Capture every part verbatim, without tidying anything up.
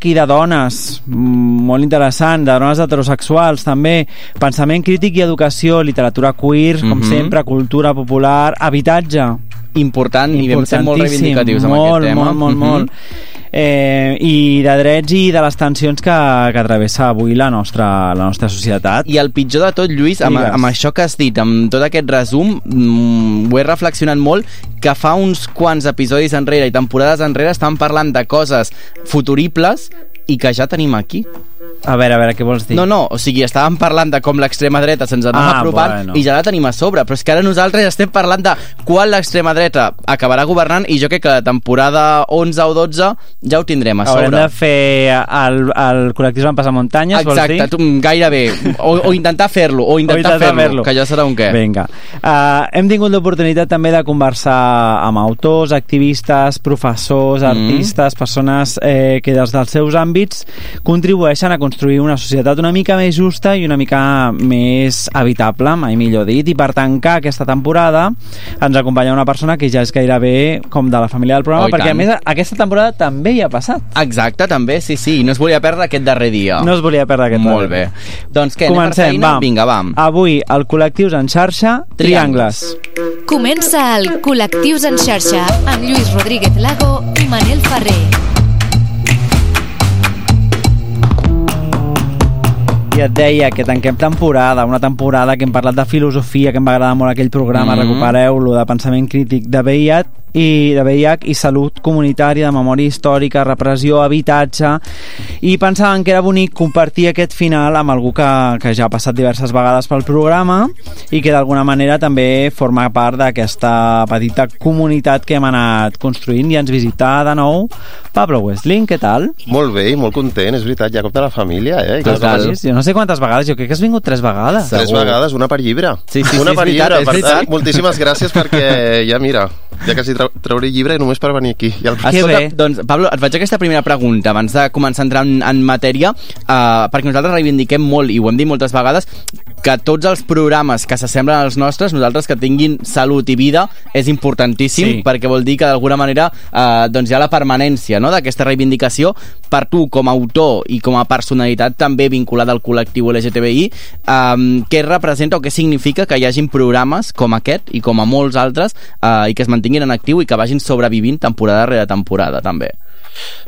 i de dones, molt interessant, de dones heterosexuals també, pensament crític i educació, literatura queer, com mm-hmm. sempre, cultura popular, habitatge. Important, i vam ser molt reivindicatius amb molt, aquest tema. Molt, molt, mm-hmm. molt. Eh, i de drets i de les tensions que, que travessa avui la nostra, la nostra societat. I el pitjor de tot, Lluís, amb, amb això que has dit, amb tot aquest resum, mm, ho he reflexionat molt, que fa uns quants episodis enrere i temporades enrere estan parlant de coses futuribles i que ja tenim aquí. A veure, a veure, què vols dir? No, no, o sigui, estàvem parlant de com l'extrema dreta se'ns anava ah, apropant bueno. i ja la tenim a sobre, però és que ara nosaltres estem parlant de quan l'extrema dreta acabarà governant i jo crec que la temporada onze o dotze ja ho tindrem a sobre. Haurem de fer el, el col·lectiu en passamuntanyes, vols dir? Exacte, tu, gairebé. O, o intentar fer-lo, o intentar, intentar fer-lo, fer-lo, que ja serà un què. Vinga. Uh, hem tingut l'oportunitat també de conversar amb autors, activistes, professors, artistes, mm. persones eh, que des dels seus àmbits contribueixen a construir una societat una mica més justa i una mica més habitable, mai millor dit, i per tancar aquesta temporada ens acompanya una persona que ja és gairebé com de la família del programa, oh, perquè tant. A més aquesta temporada també hi ha passat. Exacte, també, sí, sí, no es volia perdre aquest darrer dia. No es volia perdre aquest Molt darrer dia. Molt bé. Doncs què, comencem, anem per feina? Va. Vinga, va. Avui, el Col·lectius en xarxa, Triangles. Comença el Col·lectius en xarxa amb Lluís Rodríguez Lago i Manel Ferrer. I et deia que tanquem temporada, una temporada que hem parlat de filosofia, que em va agradar molt aquell programa, mm-hmm. recupereu-lo, de pensament crític de V I H i de V I H i salut comunitària, de memòria històrica, repressió, habitatge, i pensàvem que era bonic compartir aquest final amb algú que, que ja ha passat diverses vegades pel programa i que d'alguna manera també forma part d'aquesta petita comunitat que hem anat construint i ens visita de nou Pablo Westling, què tal? Molt bé i molt content, és veritat, ja com de la família, eh? Jo no sé quantes vegades, jo crec que has vingut tres vegades. Tres Segur. vegades, una per llibre. Sí, sí, una sí, per veritat, llibre, per veritat. tant, moltíssimes gràcies perquè ja mira, ja quasi trau, trauré llibre només per venir aquí. I el... Escolta, doncs, Pablo, et faig aquesta primera pregunta abans de començar a entrar en, en matèria, uh, perquè nosaltres reivindiquem molt, i ho hem dit moltes vegades, que tots els programes que s'assemblen als nostres, nosaltres que tinguin salut i vida, és importantíssim, sí. perquè vol dir que d'alguna manera uh, doncs hi ha la permanència, no?, d'aquesta reivindicació per tu com a autor i com a personalitat també vinculada al col·lectiu L G T B I, um, què representa o què significa que hi hagin programes com aquest i com a molts altres uh, i que es mantinguin en actiu i que vagin sobrevivint temporada rere temporada també.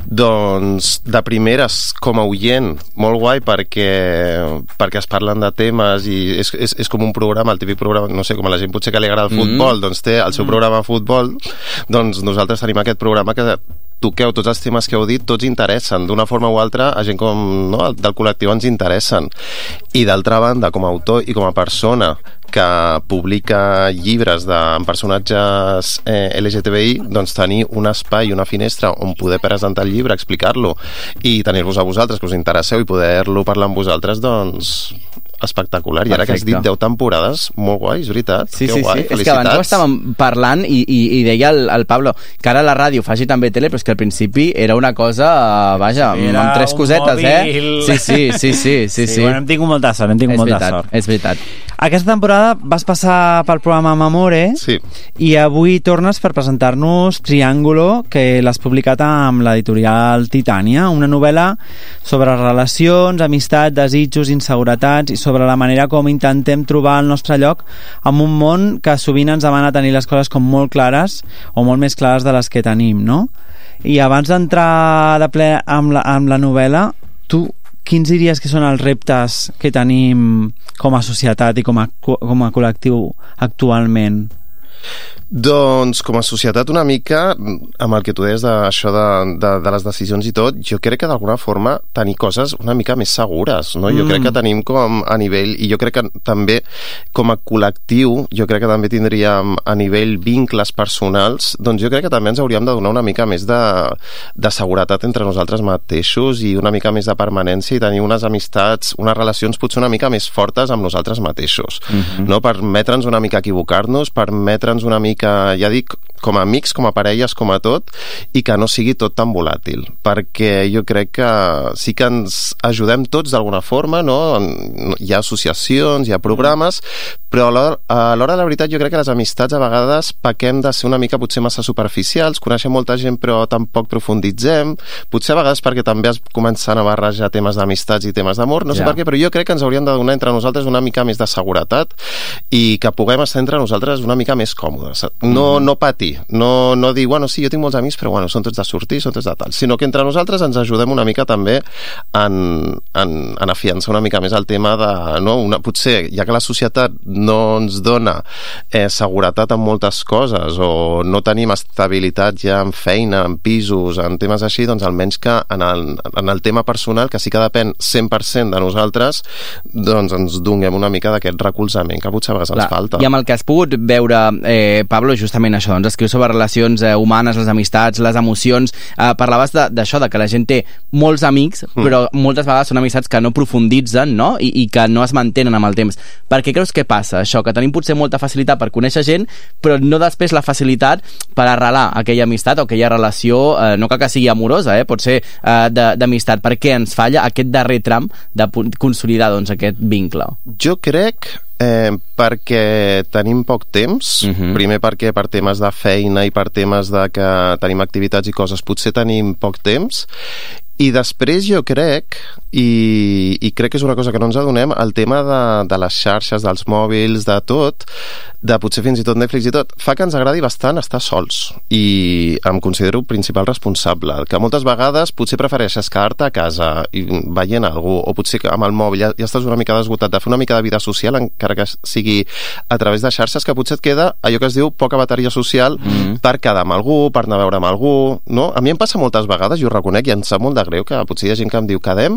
Doncs de primeres com a oient molt guai perquè, perquè es parlen de temes i és, és, és com un programa, el típic programa, no sé, com a la gent potser que li agrada el futbol, mm-hmm. doncs té el seu programa de futbol, doncs nosaltres tenim aquest programa que toqueu tots els temes que heu dit, tots interessen d'una forma o altra, a gent com no, del col·lectiu ens interessen, i d'altra banda com a autor i com a persona que publica llibres de, amb personatges eh, L G T B I, doncs tenir un espai, una finestra on poder presentar el llibre, explicar-lo i tenir-vos a vosaltres que us interesseu i poder-lo parlar amb vosaltres, doncs espectacular. I ara Perfecte. Que has dit deu temporades, molt guai, és veritat. Sí, que sí, guai, sí. És que abans ho estàvem parlant i, i, i deia el, el Pablo que ara la ràdio faci també tele, però és que al principi era una cosa, vaja, era amb tres cosetes, mòbil. eh? Sí, sí, sí, sí, sí, sí, sí. Bueno, hem tingut molta sort, hem tingut és molta veritat, sort. És veritat. Aquesta temporada vas passar pel programa Mamore sí. i avui tornes per presentar-nos Triángulo, que l'has publicat amb l'editorial Titània, una novel·la sobre relacions, amistat, desitjos, inseguretats i sobre la manera com intentem trobar el nostre lloc en un món que sovint ens demana tenir les coses com molt clares o molt més clares de les que tenim, no? I abans d'entrar de ple amb la, amb la novel·la, tu quins diries que són els reptes que tenim com a societat i com a, com a col·lectiu actualment? Doncs com a societat una mica amb el que tu deies d'això de, de, de les decisions i tot, jo crec que d'alguna forma tenir coses una mica més segures, no? Jo mm. crec que tenim com a nivell, i jo crec que també com a col·lectiu, jo crec que també tindríem a nivell vincles personals, doncs jo crec que també ens hauríem de donar una mica més de, de seguretat entre nosaltres mateixos i una mica més de permanència i tenir unes amistats, unes relacions potser una mica més fortes amb nosaltres mateixos, mm-hmm. no? Permetre'ns una mica equivocar-nos, permetre'ns una mica, ja dic, com a amics, com a parelles, com a tot, i que no sigui tot tan volàtil, perquè jo crec que sí que ens ajudem tots d'alguna forma, no? Hi ha associacions, hi ha programes, però a l'hora, a l'hora de la veritat jo crec que les amistats a vegades pequem de ser una mica potser massa superficials, coneixem molta gent però tampoc profunditzem, potser a vegades perquè també es comencen a barrejar temes d'amistats i temes d'amor, no sé Ja. per què, però jo crec que ens haurien de donar entre nosaltres una mica més de seguretat i que puguem estar entre nosaltres una mica més còmodes. No, no patir, no, no dir, bueno, sí, jo tinc molts amics, però bueno, són tots de sortir, són tots de tal, sinó que entre nosaltres ens ajudem una mica també en, en, en afiançar una mica més el tema de, no, una, potser, ja que la societat no ens dona eh, seguretat en moltes coses o no tenim estabilitat ja en feina, en pisos, en temes així, doncs almenys que en el, en el tema personal, que sí que depèn cent per cent de nosaltres, doncs ens donem una mica d'aquest recolzament que potser a vegades ens falta. I amb el que has pogut veure, eh, Pablo, justament això, doncs escrius sobre relacions eh, humanes, les amistats, les emocions, eh, parlaves d'això, de, de que la gent té molts amics, mm. però moltes vegades són amistats que no profunditzen, no? I, i que no es mantenen amb el temps. Per què creus que passa això? Que tenim potser molta facilitat per conèixer gent, però no després la facilitat per arrelar aquella amistat o aquella relació, eh, no cal que sigui amorosa, eh, pot ser eh, d'amistat. Per què ens falla aquest darrer tram de consolidar doncs, aquest vincle? Jo crec eh, perquè tenim poc temps, uh-huh. primer perquè per temes de feina i per temes de que tenim activitats i coses potser tenim poc temps, i després jo crec, i, i crec que és una cosa que no ens adonem, el tema de, de les xarxes, dels mòbils, de tot, de potser fins i tot Netflix i tot, fa que ens agradi bastant estar sols, i em considero principal responsable, que moltes vegades potser prefereixes quedar-te a casa i veient algú, o potser que amb el mòbil ja, ja estàs una mica desgotat de fer una mica de vida social, encara que sigui a través de xarxes, que potser et queda allò que es diu poca bateria social mm-hmm. per quedar amb algú, per anar a veure amb algú, no? A mi em passa moltes vegades, i ho reconec, i em sap molt de greu que potser hi ha gent que em diu quedem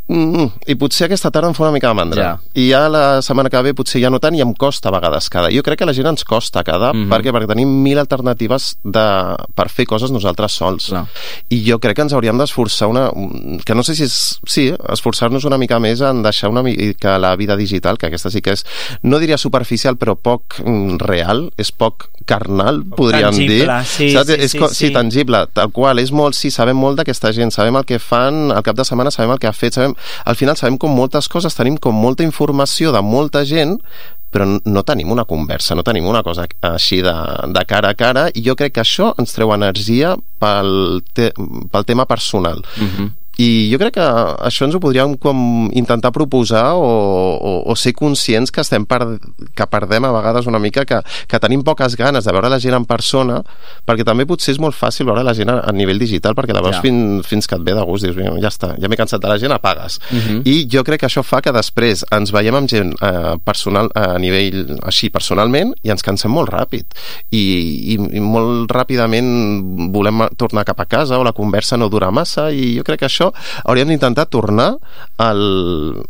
mm, i potser aquesta tarda em fa una mica de mandra, ja. i ja la setmana que ve potser ja no tant, i em costa a vegades quedar. Jo crec que a la gent ens costa quedar, mm-hmm. perquè, perquè tenim mil alternatives de, per fer coses nosaltres sols, no. I jo crec que ens hauríem d'esforçar una, que no sé si és, sí, esforçar-nos una mica més en deixar una mica la vida digital, que aquesta sí que és, no diria superficial, però poc mm, real, és poc carnal, podríem tangible, dir. sí, Saps? sí, és, sí, sí, sí. tangible, tal qual, és molt, sí, sabem molt d'aquesta gent, sabem el que fan, al cap de setmana sabem el que ha fet, sabem, al final sabem com moltes coses, tenim com molta informació de molta gent, però no tenim una conversa, no tenim una cosa així de, de cara a cara, i jo crec que això ens treu energia pel, te, pel tema personal. Mm-hmm. I jo crec que això ens ho podríem com intentar proposar o, o, o ser conscients que estem per, que perdem a vegades una mica, que, que tenim poques ganes de veure la gent en persona, perquè també potser és molt fàcil veure la gent a, a nivell digital, perquè la veus ja. fins, fins que et ve de gust, dius, ja està, ja m'he cansat de la gent, apagues. Uh-huh. I jo crec que això fa que després ens veiem amb gent eh, personal, a nivell així, personalment, i ens cansem molt ràpid. I, i, i molt ràpidament volem tornar cap a casa, o la conversa no dura massa, i jo crec que això hauríem d'intentar tornar al...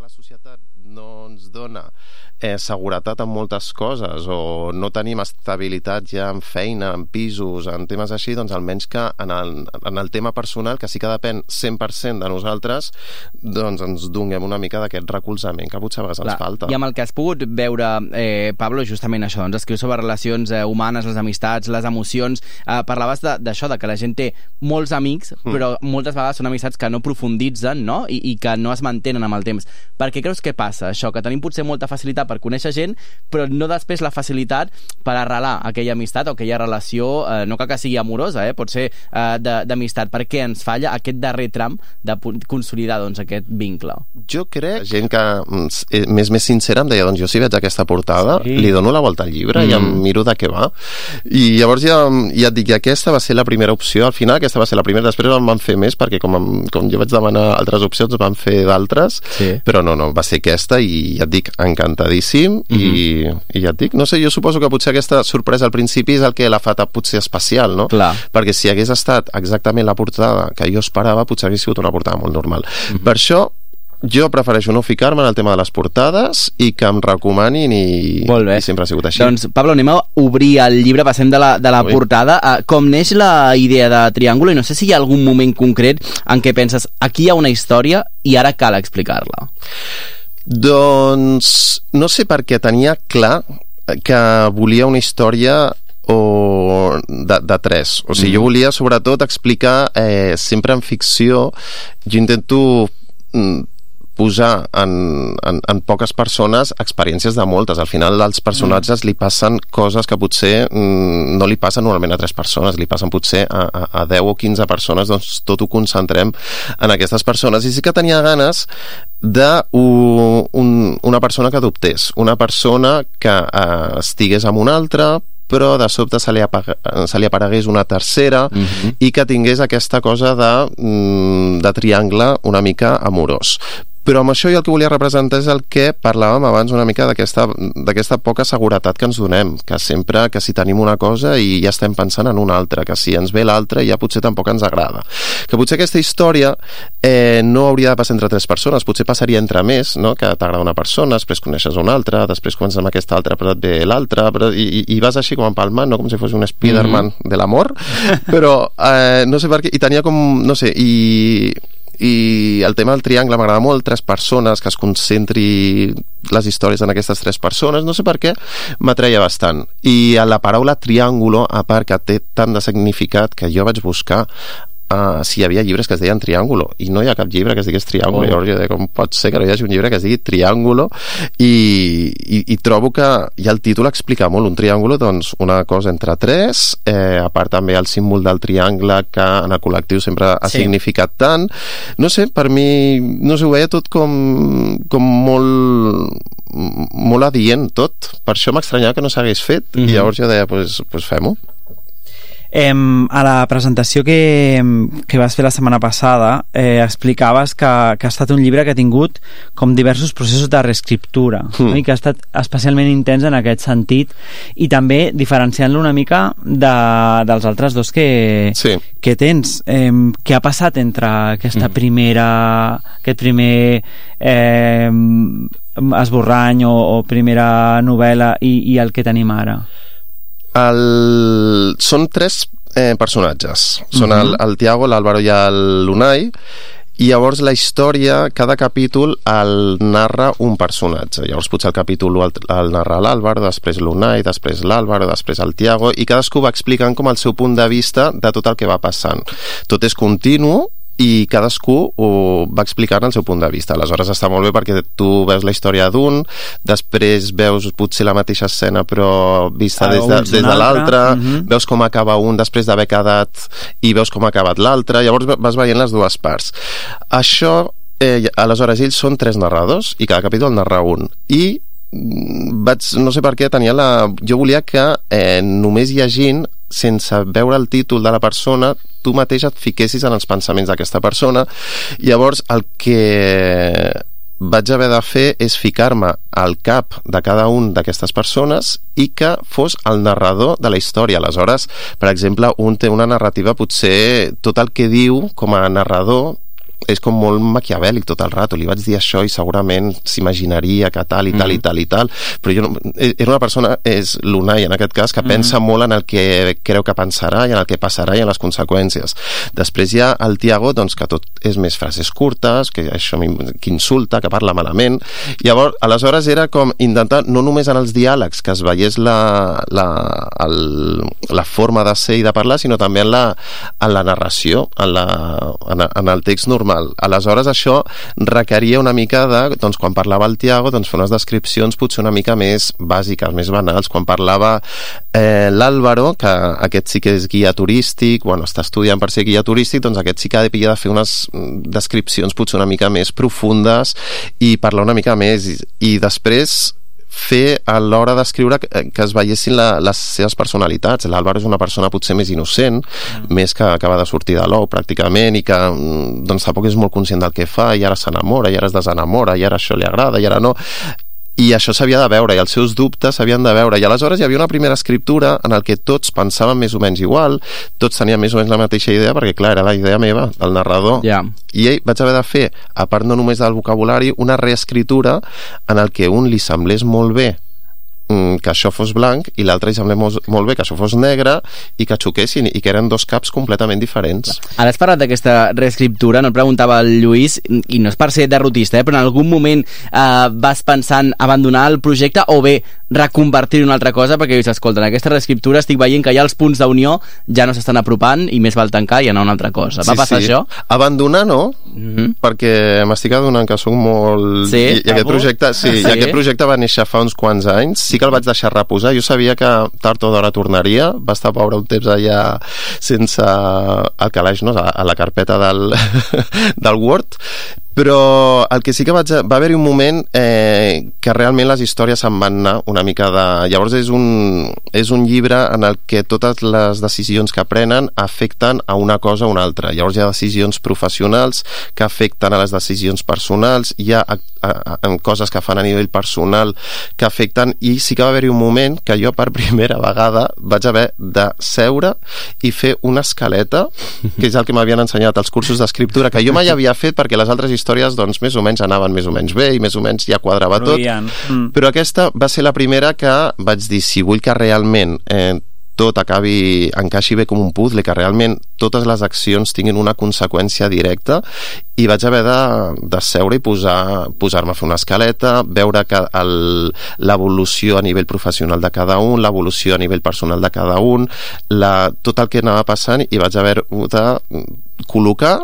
que la societat no ens dona eh, seguretat en moltes coses o no tenim estabilitat ja en feina, en pisos, en temes així, doncs almenys que en el, en el tema personal, que sí que depèn cent per cent de nosaltres, doncs ens donem una mica d'aquest recolzament que potser a vegades ens falta. I amb el que has pogut veure, eh, Pablo, justament això, doncs escrius sobre relacions eh, humanes, les amistats, les emocions, eh, parlaves d'això, de, de que la gent té molts amics, mm. però moltes vegades són amistats que no profunditzen, no? I, i que no es mantenen amb el temps. Per què creus que passa això? Que tenim potser molta facilitat per conèixer gent, però no després la facilitat per arrelar aquella amistat o aquella relació, eh, no cal que sigui amorosa, eh, pot ser eh, d'amistat. Per què ens falla aquest darrer tram de consolidar doncs, aquest vincle? Jo crec, gent que més més sincera em deia, doncs jo si veig aquesta portada, sí. li dono la volta al llibre mm. i em miro de què va. I llavors ja, ja et dic que aquesta va ser la primera opció, al final aquesta va ser la primera, després en van fer més, perquè com, com jo vaig demanar altres opcions, van fer d'altres, sí. però no, no, va ser aquesta i ja et dic, encantadíssim. Mm-hmm. I, i ja et dic, no sé, jo suposo que potser aquesta sorpresa al principi és el que l'ha fet potser especial, no? Clar. Perquè si hagués estat exactament la portada que jo esperava, potser hagués sigut una portada molt normal. Mm-hmm. Per això jo prefereixo no ficar-me en el tema de les portades i que em recomanin i, i sempre ha sigut així. Doncs, Pablo, anem a obrir el llibre, passem de la, de la portada. Uh, com neix la idea de Triángulo? I no sé si hi ha algun moment concret en què penses, aquí hi ha una història i ara cal explicar-la. Doncs no sé, perquè tenia clar que volia una història o de, de tres. O sigui, mm. jo volia sobretot explicar eh, sempre en ficció, jo intento mm, posar en, en, en poques persones experiències de moltes. Al final als personatges mm. li passen coses que potser mm, no li passen normalment a tres persones, li passen potser a, a, a deu o quinze persones, doncs tot ho concentrem en aquestes persones. I sí que tenia ganes de un, un, una persona que adoptés, una persona que eh, estigués amb una altra, però de sobte se li, apag... se li aparegués una tercera mm-hmm. i que tingués aquesta cosa de, de triangle una mica amorós. Però amb això jo el que volia representar és el que parlàvem abans una mica d'aquesta d'aquesta poca seguretat que ens donem, que sempre que si tenim una cosa i ja estem pensant en una altra, que si ens ve l'altra ja potser tampoc ens agrada. Que potser aquesta història eh, no hauria de passar entre tres persones, potser passaria entre més, no? Que t'agrada una persona, després coneixes una altra, després comences amb aquesta altra, però et ve l'altra, però... I, i vas així com empalmant, no? Com si fos un Spiderman mm-hmm. de l'amor, però eh, no sé per què, i tenia com, no sé, i... i el tema del triangle m'agrada molt, tres persones, que es concentri les històries en aquestes tres persones, no sé per què m'atreia bastant. I a la paraula triàngulo, a part que té tant de significat, que jo vaig buscar Uh, si hi havia llibres que es deien Triángulo i no hi ha cap llibre que es digués Triángulo. Oh. Llavors jo deia, com pot ser que no hi hagi un llibre que es digui Triángulo? I, i, i trobo que ja el títol explica molt. Un triàngulo, doncs una cosa entre tres, eh, a part també el símbol del triangle que en el col·lectiu sempre ha sí. significat tant. No sé, per mi no sé, ho veia tot com, com molt molt adient tot. Per això m'estranyava que no s'hagués fet mm-hmm. i llavors jo deia, pues, pues fem-ho. Eh, a la presentació que, que vas fer la setmana passada eh, explicaves que, que ha estat un llibre que ha tingut com diversos processos de reescriptura mm. no? I que ha estat especialment intens en aquest sentit i també diferenciant-lo una mica de, dels altres dos que, sí. que tens. Eh, què ha passat entre aquesta mm. primera aquest primer eh, esborrany o, o primera novel·la i, i el que tenim ara? El... Són tres eh, personatges. Són uh-huh. el, el Tiago, l'Àlvaro i l'Unai, i llavors la història, cada capítol el narra un personatge. Llavors potser el capítol el, el narra l'Àlvaro, després l'Unai, després l'Àlvaro, després el Tiago, i cadascú va explicant com el seu punt de vista de tot el que va passant. Tot és continu i cadascú ho va explicant el seu punt de vista. Aleshores està molt bé perquè tu veus la història d'un, després veus potser la mateixa escena però vista ah, des de, des de l'altre, uh-huh. veus com acaba un després d'haver quedat i veus com ha acabat l'altre, llavors vas veient les dues parts. Això, eh, aleshores ells són tres narradors i cada capítol narra un. I vaig, no sé per què tenia la... jo volia que eh, només llegint, sense veure el títol de la persona, tu mateix et fiquessis en els pensaments d'aquesta persona. Llavors el que vaig haver de fer és ficar-me al cap de cada un d'aquestes persones i que fos el narrador de la història. Aleshores, per exemple, un té una narrativa, potser tot el que diu com a narrador és com molt maquiavèlic tot el rato. Li vaig dir això i segurament s'imaginaria que tal i tal mm. i tal i tal, però jo no, era una persona, és l'Unai en aquest cas, que mm. pensa molt en el que creu que pensarà i en el que passarà i en les conseqüències. Després hi ha el Tiago, doncs, que tot és més frases curtes, que això que insulta, que parla malament. Llavors, aleshores era com intentar, no només en els diàlegs, que es veiés la, la, el, la forma de ser i de parlar, sinó també en la, en la narració, en, la, en, en el text normal. Aleshores, això requeria una mica de, doncs, quan parlava el Tiago, doncs, fer unes descripcions potser una mica més bàsiques, més banals. Quan parlava eh, l'Àlvaro, que aquest sí que és guia turístic, bueno, està estudiant per ser guia turístic, doncs aquest sí que havia de fer unes descripcions potser una mica més profundes i parlar una mica més. I, i després fer a l'hora d'escriure que, que es veiessin la, les seves personalitats. L'Àlvaro és una persona potser més innocent, mm. més que acaba de sortir de l'ou pràcticament, i que doncs tampoc és molt conscient del que fa, i ara s'enamora, i ara es desenamora, i ara això li agrada, i ara no. I això s'havia de veure, i els seus dubtes s'havien de veure, i aleshores hi havia una primera escriptura en el que tots pensaven més o menys igual, tots tenien més o menys la mateixa idea, perquè clar, era la idea meva, el narrador, yeah. I ell vaig haver de fer, a part no només del vocabulari, una reescritura en el que un li semblés molt bé que això fos blanc i l'altre li semblés molt, molt bé que això fos negre i que xoquessin i que eren dos caps completament diferents. Ara has parlat d'aquesta reescriptura, no et preguntava el Lluís, i no és per ser derrotista, eh, però en algun moment eh, vas pensant abandonar el projecte o bé reconvertir-ho en una altra cosa, perquè dius, escolta, en aquesta reescriptura estic veient que ja els punts d'unió ja no s'estan apropant i més val tancar i anar a una altra cosa. Va sí, passar sí. això? Abandonar no, mm-hmm. perquè m'estic adonant que soc molt... Sí? I, i, aquest projecte, sí, sí. I aquest projecte va néixer fa uns quants anys, sí que el vaig deixar reposar. Jo sabia que tard o d'hora tornaria. Va estar pobre un temps allà sense el calaix, no? A la carpeta del, del Word. Però el que sí que vaig... Va haver-hi un moment eh, que realment les històries se'n van anar una mica de... Llavors és un, és un llibre en el que totes les decisions que prenen afecten a una cosa o una altra. Llavors hi ha decisions professionals que afecten a les decisions personals, hi ha a, a, a, coses que fan a nivell personal que afecten, i sí que va haver-hi un moment que jo per primera vegada vaig haver de seure i fer una escaleta, que és el que m'havien ensenyat als cursos d'escriptura, que jo mai havia fet perquè les altres històries doncs més o menys anaven més o menys bé i més o menys ja quadrava tot, mm. però aquesta va ser la primera que vaig dir, si vull que realment eh, tot acabi, encaixi bé com un puzzle, que realment totes les accions tinguin una conseqüència directa, i vaig haver de, de seure i posar, posar-me a fer una escaleta, veure que el, l'evolució a nivell professional de cada un, l'evolució a nivell personal de cada un, la, tot el que anava passant, i vaig haver de col·locar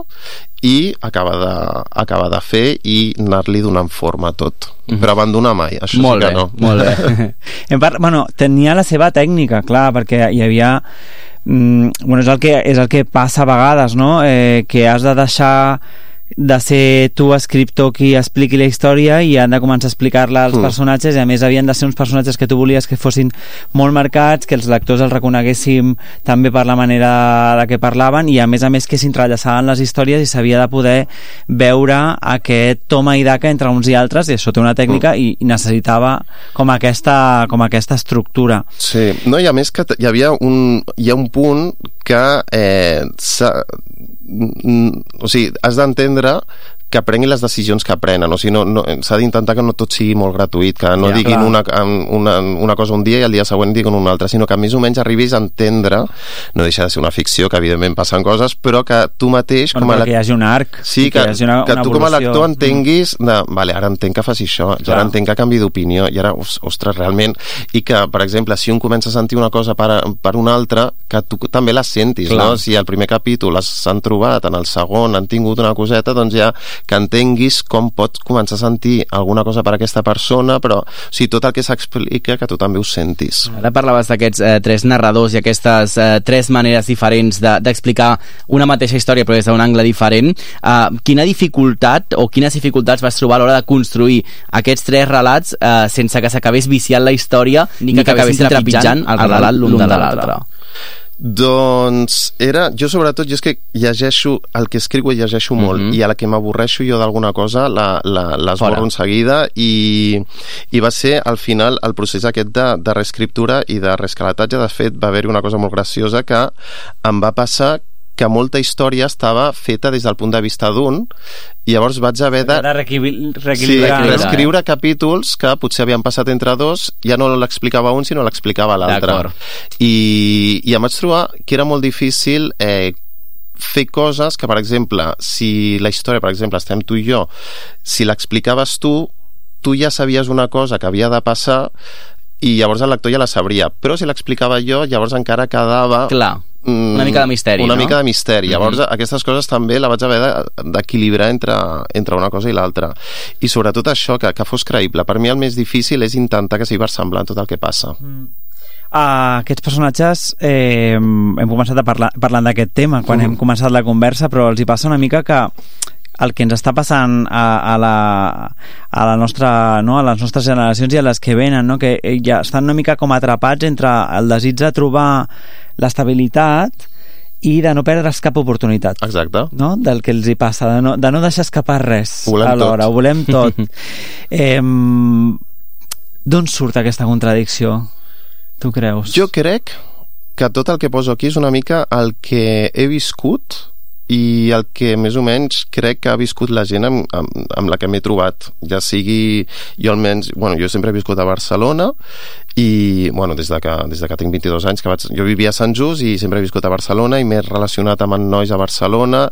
i acabar de, acabar de fer i anar-li donant forma a tot. Mm-hmm. Però abandonar mai, això molt sí que bé, no. Molt bé. En part, bueno, tenia la seva tècnica, clar, perquè hi havia... Mm, bueno, és el, que, és el que passa a vegades, no? Eh, que has de deixar de ser tu escriptor qui expliqui la història i han de començar a explicar-la als mm. personatges, i a més havien de ser uns personatges que tu volies que fossin molt marcats, que els lectors els reconeguéssim també per la manera de què parlaven, i a més a més que s'entrellaçaven les històries i s'havia de poder veure aquest toma i daca entre uns i altres, i això té una tècnica mm. i necessitava com aquesta, com aquesta estructura. Sí, no, i a més que hi havia un, hi ha un punt que eh, o sigui, has d'entendre que prenguin les decisions que prenen, o sigui, no, no, s'ha d'intentar que no tot sigui molt gratuït, que no ja, diguin una, una, una cosa un dia i el dia següent diguin una altra, sinó que més o menys arribis a entendre, no deixa de ser una ficció, que evidentment passen coses, però que tu mateix... Com a que hi hagi un arc. Sí, que, que, una, que una tu com a lector entenguis, de, vale, ara entenc que faci això, ja ara entenc que canvi d'opinió, i ara, ostres, realment, i que, per exemple, si un comença a sentir una cosa per, per una altra, que tu també la sentis, clar. No? Si al primer capítol s'han trobat, en el segon han tingut una coseta, doncs ja que entenguis com pots començar a sentir alguna cosa per aquesta persona, però o sigui, tot el que s'explica que tu també ho sentis. Ara parlaves d'aquests eh, tres narradors i aquestes eh, tres maneres diferents de, d'explicar una mateixa història però des d'un angle diferent. Eh, quina dificultat o quines dificultats vas trobar a l'hora de construir aquests tres relats eh, sense que s'acabés viciant la història ni que, que acabessin trepitjant el relat l'un de l'altre? Doncs era, jo sobretot, jo és que llegeixo, el que escriu llegeixo molt, mm-hmm. i a la que m'avorreixo jo d'alguna cosa la, la, l'esborro en seguida, i, i va ser al final el procés aquest de, de reescriptura i de reescalatatge. De fet va haver-hi una cosa molt graciosa que em va passar que molta història estava feta des del punt de vista d'un, i llavors vaig haver de... De reequilibrar. Sí, reescriure capítols que potser havien passat entre dos, ja no l'explicava un, sinó l'explicava l'altre. I, I em vaig trobar que era molt difícil eh, fer coses que, per exemple, si la història, per exemple, estem tu i jo, si l'explicaves tu, tu ja sabies una cosa que havia de passar i llavors el lector ja la sabria, però si l'explicava jo, llavors encara quedava... Clar, una mica de misteri, una no? mica de misteri. Llavors, mm-hmm. aquestes coses també la vaig haver d'equilibrar entre, entre una cosa i l'altra. I sobretot això, que, que fos creïble. Per mi el més difícil és intentar que sigui versemblant tot el que passa. Mm. Uh, aquests personatges eh, hem començat a parlar parlant d'aquest tema quan mm. hem començat la conversa, però els hi passa una mica que el que ens està passant a, a, la, a, la nostra, no? a les nostres generacions i a les que venen, no? que ja estan una mica com atrapats entre el desig de trobar l'estabilitat i de no perdre's cap oportunitat. Exacte. No? Del que els hi passa, de no, de no deixar escapar res alhora, ho volem tot. eh, D'on surt aquesta contradicció, tu creus? Jo crec que tot el que poso aquí és una mica el que he viscut i el que més o menys crec que ha viscut la gent amb, amb, amb la que m'he trobat, ja sigui jo almenys, bueno, jo sempre he viscut a Barcelona i, bueno, des de que, des de que tinc vint-i-dos anys que vaig, jo vivia a Sant Just i sempre he viscut a Barcelona i m'he relacionat amb nois a Barcelona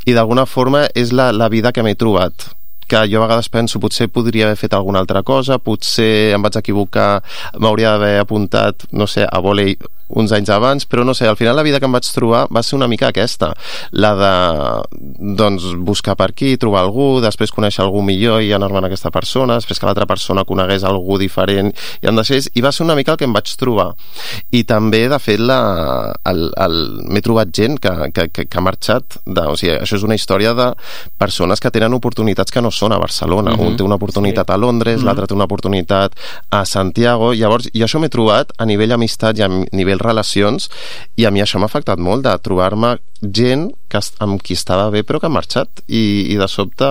i d'alguna forma és la, la vida que m'he trobat, que jo a vegades penso potser podria haver fet alguna altra cosa, potser em vaig equivocar, m'hauria d'haver apuntat, no sé, a vòlei uns anys abans, però no sé, al final la vida que em vaig trobar va ser una mica aquesta, la de doncs buscar per aquí, trobar algú, després conèixer algú millor i anar-me'n a aquesta persona, després que l'altra persona conegués algú diferent i em deixés, i va ser una mica el que em vaig trobar. I també, de fet, la, el, el, m'he trobat gent que, que, que, que ha marxat de, o sigui, això és una història de persones que tenen oportunitats que no són a Barcelona. Mm-hmm. Un té una oportunitat sí. a Londres, mm-hmm. l'altre té una oportunitat a Santiago, llavors, i això m'he trobat a nivell amistat i a nivell relacions, i a mi això m'ha afectat molt, de trobar-me gent que, amb qui estava bé però que ha marxat i, i de sobte,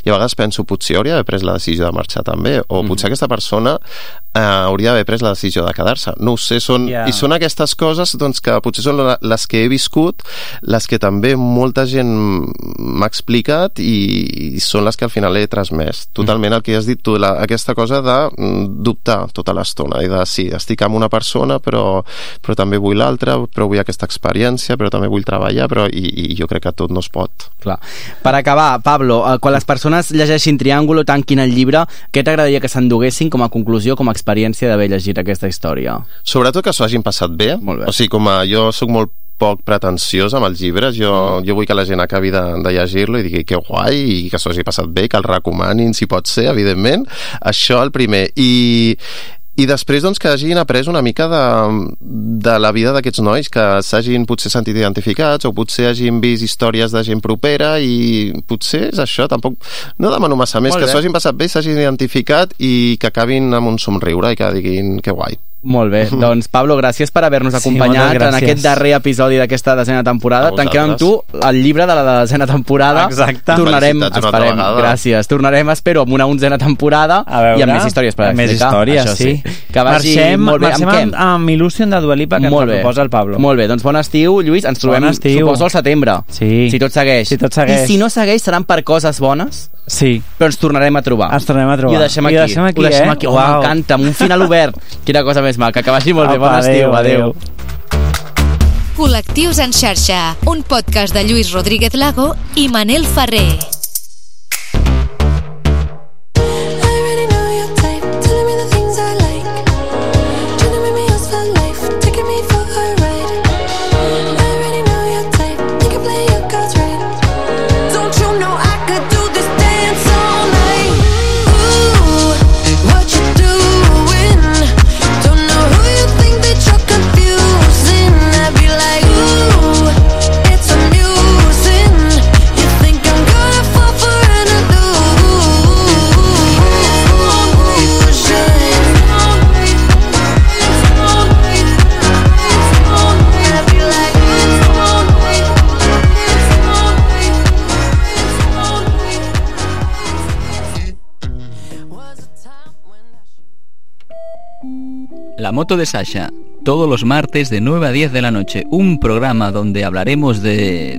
i a vegades penso potser hauria d'haver pres la decisió de marxar també, o mm. potser aquesta persona eh, hauria d'haver pres la decisió de quedar-se, no ho sé, són, yeah. i són aquestes coses doncs, que potser són les que he viscut, les que també molta gent m'ha explicat i, i són les que al final he transmès totalment mm. el que has dit tu, la, aquesta cosa de dubtar tota l'estona i de sí, estic amb una persona però, però també vull l'altra, però vull aquesta experiència, però també vull treballar, però i, i jo crec que tot no es pot. Clar. Per acabar, Pablo, quan les persones llegeixin Triángulo, tanquin el llibre, què t'agradaria que s'enduguessin com a conclusió, com a experiència d'haver llegit aquesta història? Sobretot que s'ho hagin passat bé. Molt bé. O sigui, com a, jo sóc molt poc pretensiós amb els llibres, jo, jo vull que la gent acabi de, de llegir-lo i digui que guai i que s'ho hagi passat bé, que el recomanin si pot ser, evidentment. Això el primer. I I després doncs, que hagin après una mica de, de la vida d'aquests nois, que s'hagin potser sentit identificats o potser hagin vist històries de gent propera i potser és això, tampoc no demano massa més, que s'ho hagin passat bé, s'hagin identificat i que acabin amb un somriure i que diguin que guai. Molt bé, doncs Pablo, gràcies per haver-nos acompanyat sí, en aquest darrer episodi d'aquesta desena temporada. Tanquem amb tu el llibre de la desena temporada. Exacte. Tornarem, esperem, gràcies. Tornarem, espero, amb una onzena temporada veure, i amb més històries per explicar. Més històries, això, sí. sí. Que vagi marxem, molt bé. Marxem amb, amb Illusion de Dua Lipa, que molt ens bé. proposa el Pablo. Molt bé, doncs bon estiu, Lluís. Ens trobem, suposo, al setembre. Sí. Si tot segueix. Si tot segueix. I si no segueix, seran per coses bones? Sí. Però ens tornarem a trobar. Ens tornarem a trobar. I ho deixem aquí. I ho deixem aquí, ho deixem eh? aquí. Oh, wow. M'encanta, amb un final obert. Quina cosa més maca. Que vagi molt bé. Bon estiu. Adéu. Col·lectius en xarxa, un podcast de Lluís Rodríguez Lago i Manel Ferrer. La moto de Sasha, todos los martes de nueve a diez de la noche. Un programa donde hablaremos de...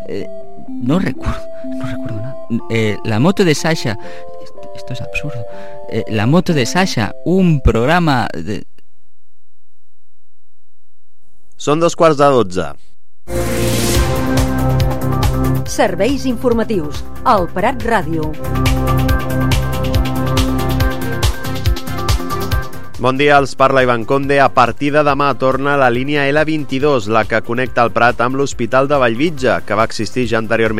Eh, no recuerdo, no recuerdo nada. Eh, la moto de Sasha... Esto, esto es absurdo. Eh, la moto de Sasha, un programa de... Són dos quarts de dotze. Serveis informatius. El Prat Ràdio. Bon dia, els parla Ivan Conde. A partir de demà torna la línia L vint-i-dos, la que connecta el Prat amb l'Hospital de Bellvitge, que va existir ja anteriorment